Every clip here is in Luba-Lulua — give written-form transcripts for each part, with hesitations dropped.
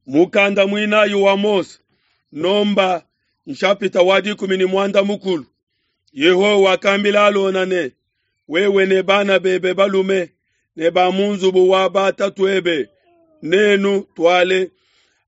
Mukanda muinayi wa Mose, Nomba nshapita wa 13. Yehowa wakambila Alona ne, Wewe ne bana bebe balume ne ba mu nzubu wa batatuebe nenu tuale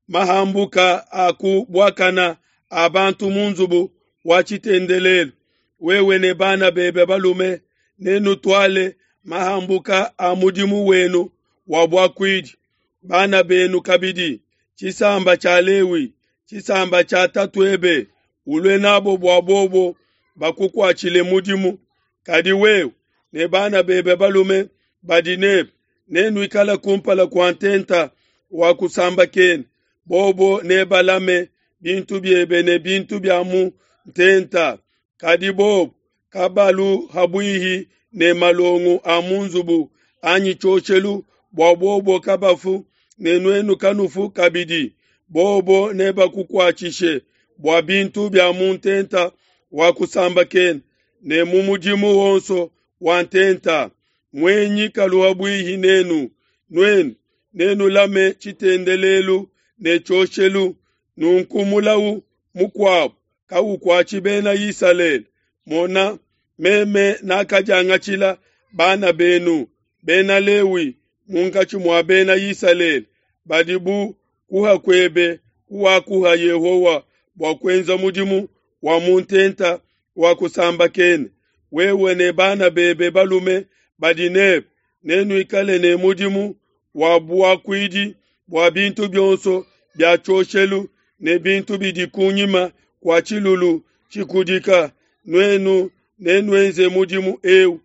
mahambuka a ku buakana a bantu mu nzubu wa tshitendelelu. Wewe ne bana bebe balume nenutuale mahambuka a mudimu wenu wa buakuidi. Bana benu kabidi, tshisamba tshia Lewi, tshisamba tshia tatuebe, ulue nabo bua bobo bakukuatshile mudimu. Kadi wewe ne bana bebe balume badi nebe nenuikale kumpala kua ntenta wa kusambakena. Bobo nebalame bintu biebe ne bintu bia mu ntenta. Kadi bobo kabalu habuihi ne malongo a mu nzubu anyi tshioshelu bua bobo kabafu ne nuenu kanufu kabidi. Bobo nebakukuatshishe bua bintu bia mu ntenta wa kusambakena ne mu mudimu wonso wa ntenta. Muenyi kalu habuihi nenu, nuenu nenulame tshitendelelu ne tshioshelu. Nunku mulawu mukuabo kaukuatshi bena Isalele. Mona, meme nakadiangatshila bana benu bena Lewi munkatshi mua bena Isalele, badi bu kuha kuebe kuwakuha Yehowa bua kuenza mudimu wa mu ntenta wa kusambakena. Wewe ne bana bebe balume badi nebe nenuikale ne mudimu wa buakuidi bua bintu bionso bia tshioshelu ne bintu bidi kunyima kua tshilulu tshikudika. Nuenu nenuenze mudimu eu.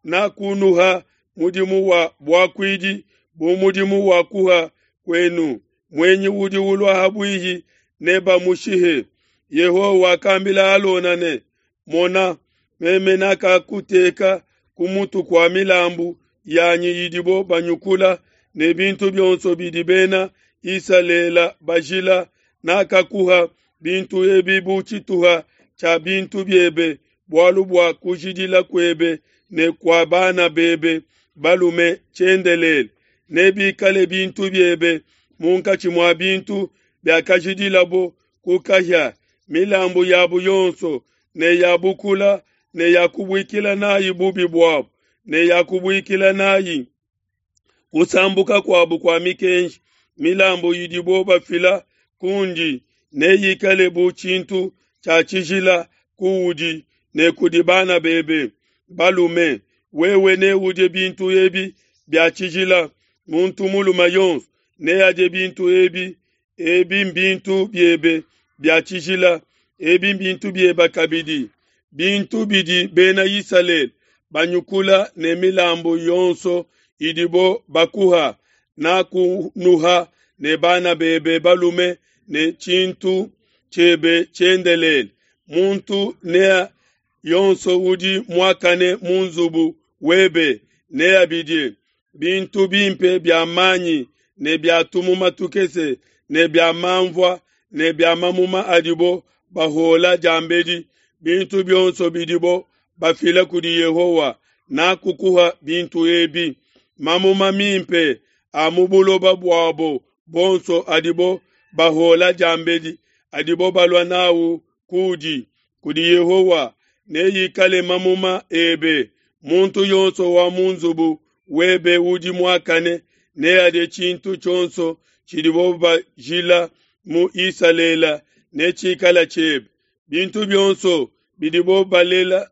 Nakunuha mudimu wa buakuidi bu mudimu wa kuha kuenu. Muenyi udi ulua habuihi nebamushihe. Yehowa wakambila Alona ne, Mona, meme nakakuteka ku mutu kua milambu yanyi idibo banyukula ne bintu bionso bidi bena Isalele bajila. Nakakuha bintu ebi bu tshituha tshia bintu biebe, bualu bua kujidila kuebe ne kua bana bebe balume tshiendelele. Nebikale bintu biebe munkatshi mua bintu biakajidilabo ku kahia, milambu yabo yonso ne ya bukula ne ya kubuikila nayi bubi buabo ne ya kubuikila nayi kusambuka kuabo kua mikenji. Milambu idibo bafila kundi neyikale bu tshintu tshia tshijila kuudi ne kudi bana bebe balume. Wewe neudie bintu ebi bia tshijila. Muntu mulume yonso neadie bintu ebi. Ebi mbintu biebe bia tshijila, ebi mbintu biebe kabidi, bintu bidi bena Isalele banyukula ne milambu yonso idibo bakuha. Nakunuha ne bana bebe balume ne tshintu tshiebe tshiendelele. Muntu ne yonso udi muakane mu nzubu webe neabidie bintu bimpe bia manyi ne bia tumuma tukese ne bia manvua ne bia mamuma adibo bahola diambedi, bintu bionso bidibo bafila kudi Yehowa. Nakukuha bintu ebi, mamuma mimpe a mu buloba buabo bonso adibo bahola diambedi, adibo balua nawu kudi kudi Yehowa, neyikale mamuma ebe. Muntu yonso wa mu nzubu webe udi muakane neadie tshintu tshionso tshidibo bajila mu Isalele, netshikale tshiebe. Bintu bionso bidibo balela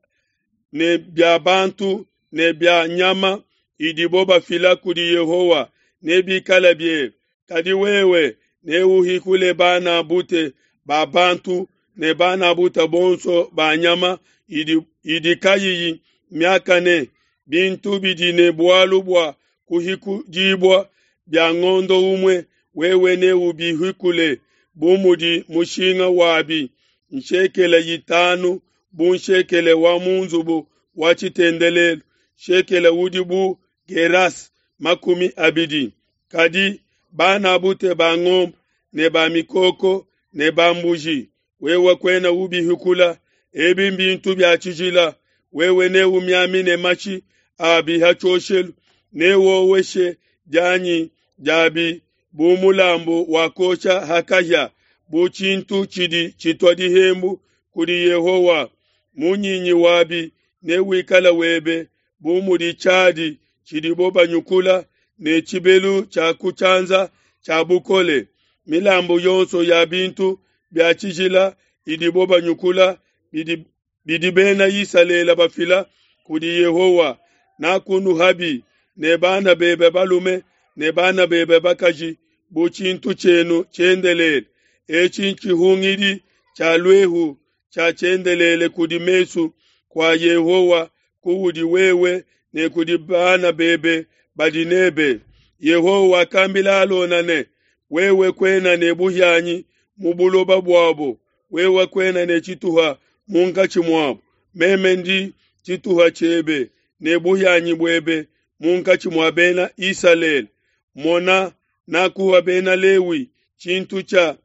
ne bia bantu ne bia nyama idibo bafila kudi Yehowa nebikale biebe. Kadi wewe neuhikule bana bute ba bantu ne bana bute bonso ba nyama idi, idi kayiyi miakane, bintu bidi ne bualu bua kuhikudibua bia ngondo umue, wewe neubihikule bu mudi mushinga wabi, nshekele 5 bu nshekele wa mu nzubu wa tshitendelelu, shekele udi bu geras 20. Kadi bana bute ba ngombe ne ba mikoko ne ba mbuji, wewe kuena ubihikula. Ebi mbintu bia tshijila. Wewe neumiamine mashi abi ha tshioshelu, newoweshe dianyi diabi. bu mulambu wa kuosha ha kahia, bu tshintu tshidi tshitua dihembu kudi Yehowa. Munyinyi wabi newikale webe bu mudi tshiadi tshidibo banyukula ne tshibelu tshia ku tshianza tshia bukole. Milambu yonso ya bintu bia tshijila idibo banyukula bidi, bidi bena Isalele bafila kudi Yehowa, nakunuhabi ne bana bebe balume ne bana bebe bakaji bu tshintu tshienu tshiendelele. Etshi ntshihungidi tshia luehu tshia tshiendelele kudi mesu kua Yehowa kuudi wewe ne kudi bana bebe badi nebe. Yehowa wakambila Alona ne, wewe kuena ne buhianyi mu buloba buabo, wewe kuena ne tshituha munkatshi muabo. Meme ndi tshituha tshiebe ne buhianyi buebe munkatshi mua bena Isalele. Mona, nakuha bena Lewi tshintu tshia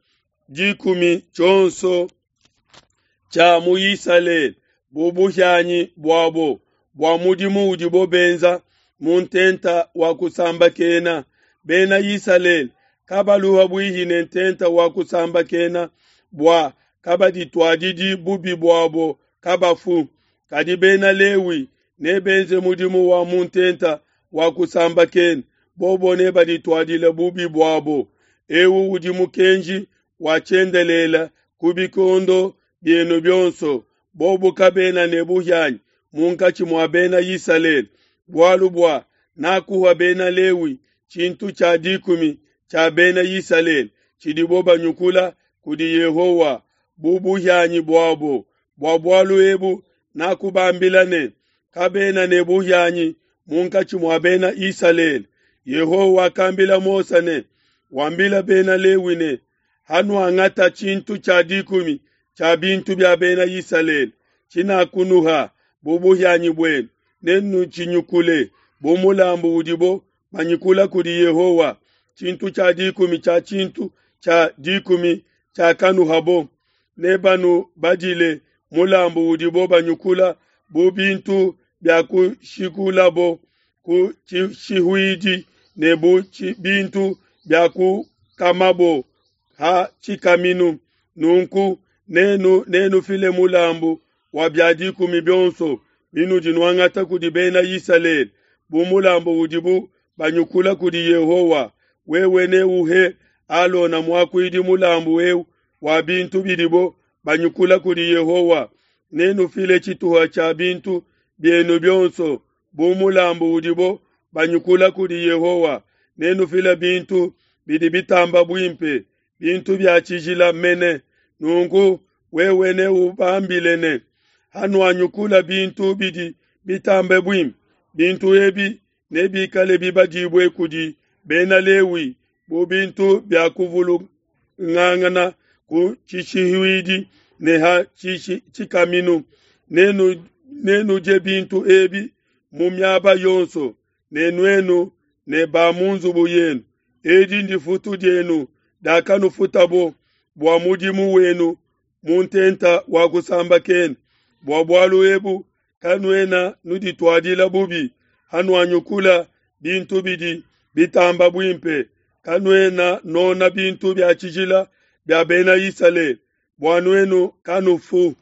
dikumi tshionso tshia mu Isalele bu buhianyi buabo bua mudimu udibo benza mu ntenta wa kusambakena. Bena Isalele kabaluha buihi ne ntenta wa kusambakena bua kabadituadidi bubi buabo kabafu. Kadi bena Lewi nebenze mudimu wa mu ntenta wa kusambakena, bobo nebadituadile bubi buabo. Ewu udi mukenji wa tshiendelele ku bikondo bienu bionso. Bobo kabena ne buhianyi munkatshi mua bena Isalele, bualu bua nakuha bena Lewi tshintu tshia dikumi tshia bena Isalele tshidibo banyukula kudi Yehowa bu buhianyi buabo. Bua bualu ebu nakubambila ne, kabena ne buhianyi munkatshi mua bena Isalele. Yehowa wakambila Mose ne, wambila bena Lewi ne, hanuangata tshintu tshia dikumi tshia bintu bia bena Isalele tshinakunuha bu buhianyi buenu, nenutshinyukule bu mulambu udibo banyukula kudi Yehowa, tshintu tshia dikumi tshia tshintu tshia dikumi tshiakanuhabo. Nebanubadile mulambu udibo banyukula bu bintu bia kushikulabo ku tshishihuidi ne bu bintu bia kukamabo ha tshikaminu. Nunku nenu nenufile mulambu wa bia dikumi bionso binudi nuangata kudi bena Isalele bu mulambu udibu banyukula kudi Yehowa. Wewe neuhe Alona muakuidi mulambu eu wa bintu bidibo banyukula kudi Yehowa. Nenufile tshituha tshia bintu bienu bionso bu mulambu udibo banyukula kudi Yehowa. Nenufile bintu bidi bitamba buimpe, bintu bia tshijila mene. Nunku wewe neubambile ne, hanuanyukula bintu bidi bitambe buimpe, bintu ebi nebikale bibadibue kudi bena Lewi bu bintu bia kuvulungangana ku tshishihuidi ne ha tshikaminu. Nenu nenudie bintu ebi mu miaba yonso, ne nuenu ne ba mu nzubu yenu. Edi ndifutu dienu diakanufutabo bua mudimu wenu mu ntenta wa kusambakena. Bua bualu ebu kanuena nudituadila bubi hanuanyukula bintu bidi bitamba buimpe, kanuena nona bintu bia tshijila bia bena Isalele, bua nuenu kanufu.